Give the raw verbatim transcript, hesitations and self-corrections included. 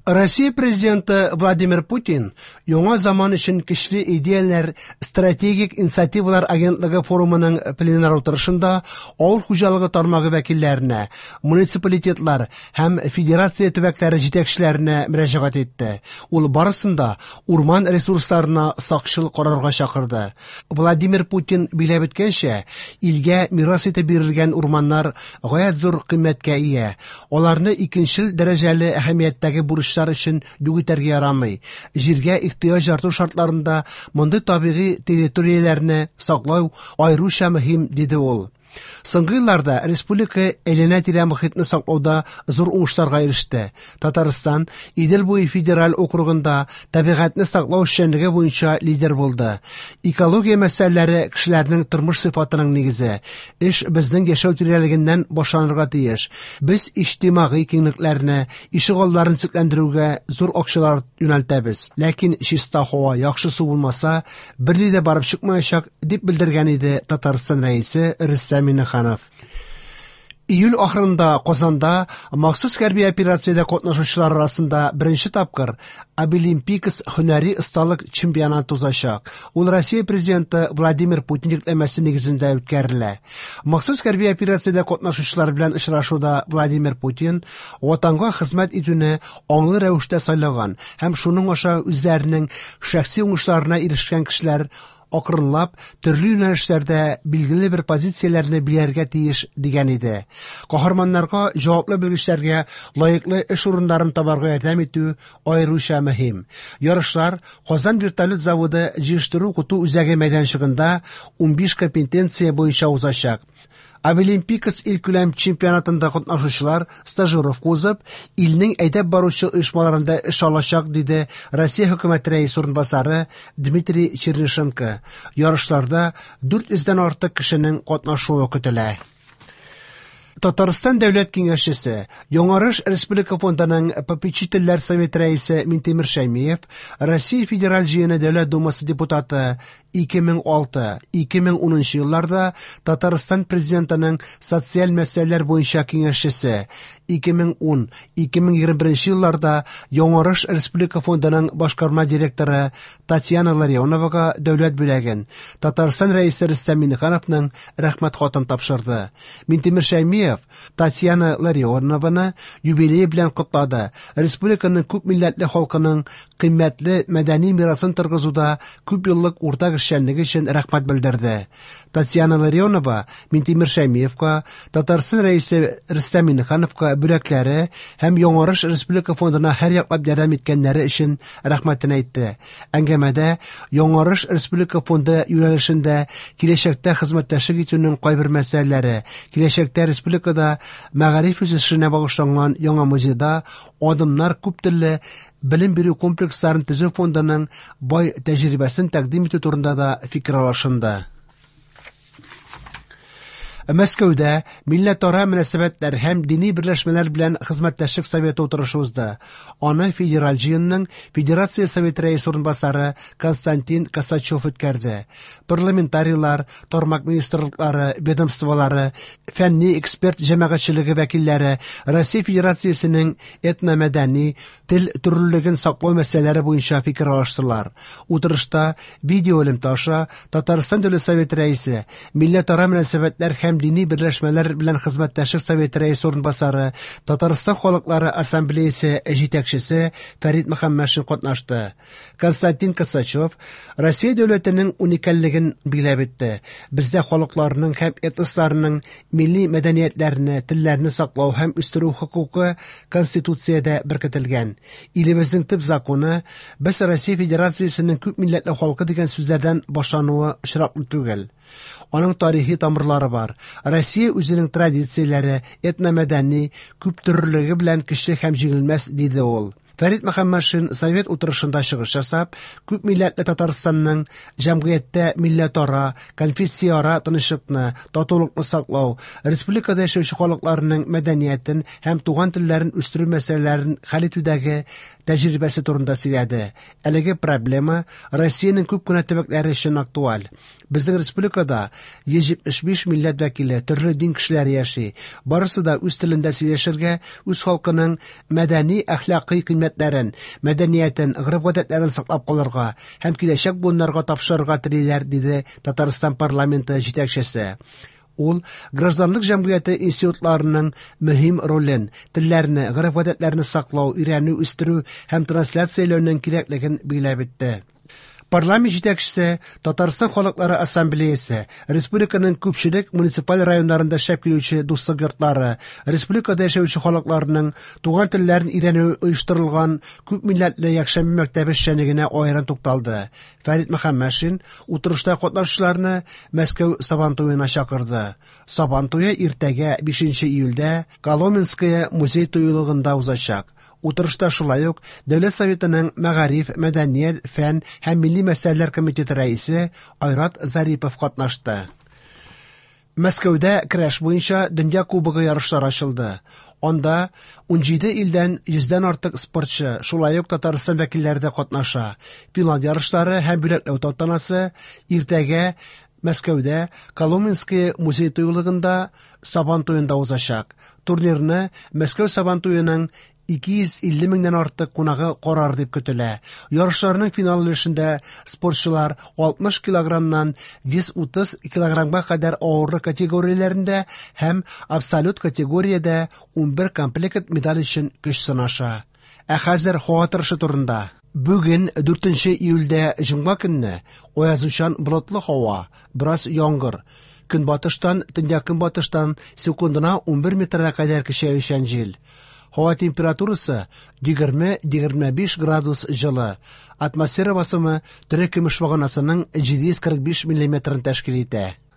Россия президенты Владимир Путин яңа заман өчен көчле идеяләр стратегик инициативалар агентлыгы форумының пленар утырышында авыл хуҗалыгы тармагы вәкилләренә, муниципалитетлар һәм федерация төбәкләре җитәкчеләренә мөрәҗәгать итте. Ул барысын да урман ресурсларына сакчыл карарга чакырды. Владимир Путин билгеләп үткәнчә, илгә мирас итеп бирелгән урманнар гаять зур кыйммәткә ия. Аларны икенчел дәрәҗәле әһәмияттәге бурычлар өчен юк итәргә ярамый. Җиргә ихтыяҗ арту шартларында мондый табигый территорияләрне саклау аеруча мөһим, диде ул. Соңгы елларда республика әйләнә-тирә мохитне саклауда зур уңышларга иреште. Татарстан Идел буе федераль округында табигатьне саклау эшчәнлеге буенча лидер булды. Экология мәсьәләләре кешеләрнең тормыш сыйфатының нигезе. Эш безнең яшәү тирәлегеннән башланырга тиеш. Без иҗтимагый киңлекләрне, ишегалларын төзекләндерүгә зур акчалар юнәлтәбез. Ләкин чиста һава, яхшы су булмаса, берни дә барып чыкмаячак, дип белдергән иде Татарстан Рәисе Рөстәм Миңнеханов. Июль ахырында Казанда махсус хәрби операциядә катнашучылар арасында беренче тапкыр Абилимпикс һөнәри осталык чемпионаты узачак. Ул Россия президенты Владимир Путин йөкләмәсе нигезендә үткәрелә. Махсус хәрби операциядә катнашучылар белән очрашуда Владимир Путин ватанга хезмәт итүне аңлы рәвештә сайлаган һәм шуның аша үзләренең шәхси уңышларына ирешкән кешеләр акрынлап төрле юнәлешләрдә билгеле бер позицияләрне биләргә тиеш дигән иде. Каһарманнарга җаваплы белгечләргә лаеклы эш урыннарын табарга ярдәм итү аеруча мөһим. Ярышлар Казан вертолет заводы җыештыру укыту үзәге мәйданчыгында унбиш компетенция буенча узачак. Абилимпикс илкүләм чемпионатында катнашучылар стажировка узып, илнең әйдәп баручы оешмаларында эш алачак, диде Россия хөкүмәте рәисе урынбасары Дмитрий Чернышенко. Ярышларда дүрт йөздән артык кешенең катнашуы көтелә. Татарстан Дәүләт Киңәшчесе, Яңарыш Республика фондының попечительләр советы рәисе Минтимер Шәймиев, Россия Федераль Җыены Дәүләт Думасы депутаты ике мең алты - ике мең унынчы елларда Татарстан президентының социаль мәсьәләләр буенча киңәшчесе, ике мең ун - ике мең егерме беренче елларда Яңарыш Республика фондының башкарма директоры Татьяна Ларионовага дәүләт бүләген Татарстан Рәисе Рөстәм Миңнехановның рәхмәт хатын тапшырды. Минтимер Шәймиев Татьяна Ларионованы юбилее белән котлады. Республиканың күп милләтле халкының кыйммәтле мәдәни мирасын торгызуда күп еллык уртак эшчәнлеге өчен рәхмәт белдерде. Татьяна Ларионова Минтимер Шәймиевка, Татарстан Рәисе Рөстәм Миңнехановка бүләкләре һәм Яңарыш Республика фондына һәр яклап ярдәм иткәннәре өчен рәхмәтен әйтте. Әңгәмәдә Яңарыш Республика фонды юнәлешендә киләчәктә хезмәттәшлек итүнең кайбер мәсьәләләре, киләчәктә республикада мәгариф үсешенә багышланган яңа музейда адымнар күп төрле белем бирү комплексларын төзү фондының бай тәҗрибәсен тәкъдим итү турында да фикер алышынды. Мәскәүдә милләтара мөнәсәбәтләр һәм дини берләшмәләр белән хезмәттәшлек советы утырышы узды. Аны Федераль җыенның Федерация Советы рәисе урынбасары Константин Косачев үткәрде. Парламентарийлар, тармак министрлыклары, ведомстволары, фәнни эксперт җәмәгатьчелеге вәкилләре Россия Федерациясенең этномәдәни тел төрлелеген саклау мәсьәләләре буенча фикер алыштылар. Утырышта видео элемтә аша Татарстан Дәүләт Советы рәисе, милләтара мөнәсәбәтләр һәм дини берләшмәләр белән хезмәттәшлек советы рәисе урынбасары, Татарстан халыклары ассамблеясы җитәкчесе Фәрит Мөхәммәтшин катнашты. Константин Косачев Россия дәүләтенең уникальлеген билгеләп үтте. Бездә халыкларның һәм этносларның милли мәдәниятләрне, телләрне саклау һәм үстерү хокукы Конституциядә беркетелгән. Илебезнең төп законы без Россия Федерациясенең күп милләтле халкы дигән сүзләрдән башлануы очраклы түгел. Аның тарихи тамырлары бар. Россия үзенең традицияләре, этномәдәни күптөрлелеге белән көчле һәм җиңелмәс, диде ул. Фәрит Мөхәммәтшин совет утырышында чыгыш ясап, күп милләтле Татарстанның җәмгыятьтә милләтара, конфессияара тынычлыкны, татулыкны саклау, республикада яшәүче халыкларның мәдәниятен һәм туган телләрен үстерү мәсьәләләрен хәл итүдәге тәҗрибәсе турында сөйләде. Әлеге проблема Россиянең күп кенә төбәкләре өчен актуаль. Безнең республикада йөз җитмеш биш милләт вәкиле, төрле дин кешеләре яши. Барысы да үз телендә сөйләшергә, үз халкының мәдәни, әхлакый кыйммәтләрен кыйммәтләрен, мәдәниятен, гореф-гадәтләрен саклап калырга һәм киләчәк буыннарга тапшырырга телиләр, диде Татарстан парламенты җитәкчесе. Ул гражданлык җәмгыяте институтларының мөһим ролен, телләрне, гореф-гадәтләрне саклау, өйрәнү, үстерү һәм трансляцияләүнең кирәклеген билгеләп үтте. Парламент җитәкчесе Татарстан халыклары ассамблеясы, республиканың күпчелек муниципаль районнарында эшләп килүче дуслык йортлары, республикада яшәүче халыкларның туган телләрен өйрәнү оештырылган күп милләтле якшәмбе мәктәбе эшчәнлегенә аерым тукталды. Фәрит Мөхәммәтшин утырышта катнашучыларны Мәскәү Сабан туена чакырды. Сабан туе иртәгә бишенче июльдә Коломенское музей тыюлыгында узачак. Утырышта шулай ук Дәүләт Советының Мәгариф, мәдәният, фән һәм милли мәсьәләләр комитеты рәисе Айрат Зарипов катнашты. Мәскәүдә көрәш буенча Дөнья кубогы ярышлары ачылды. Анда ун җиде илдән йөздән артык спортчы, шулай ук Татарстан вәкилләре дә катнаша. Финал ярышлары һәм бүләкләү тантанасы иртәгә Мәскәүдә Коломенское музей тыюлыгында Сабан туенда узачак. Турнирны Мәскәү Сабан туеның ике йөз илле меңнән артык кунагы карар дип көтелә. Ярышларның финал өлешендә спортчылар алтмыш килограммнан йөз утыз килограммга кадәр авырлык категорияләрендә һәм абсолют категориядә унбер комплект медаль өчен көч сынаша. Ә хәзер һава торышы турында. Бүген дүртенче июльдә җомга көнне аязучан болытлы һава, бераз яңгыр. Көнбатыштан, төньяк-көнбатыштан секундына унбер метрга кадәр көчәючән җил. Һава температурасы егерме-егерме биш градус җылы. Атмосфера басымы тере көмеш баганасының җиде йөз кырык биш миллиметрын тәшкил итә.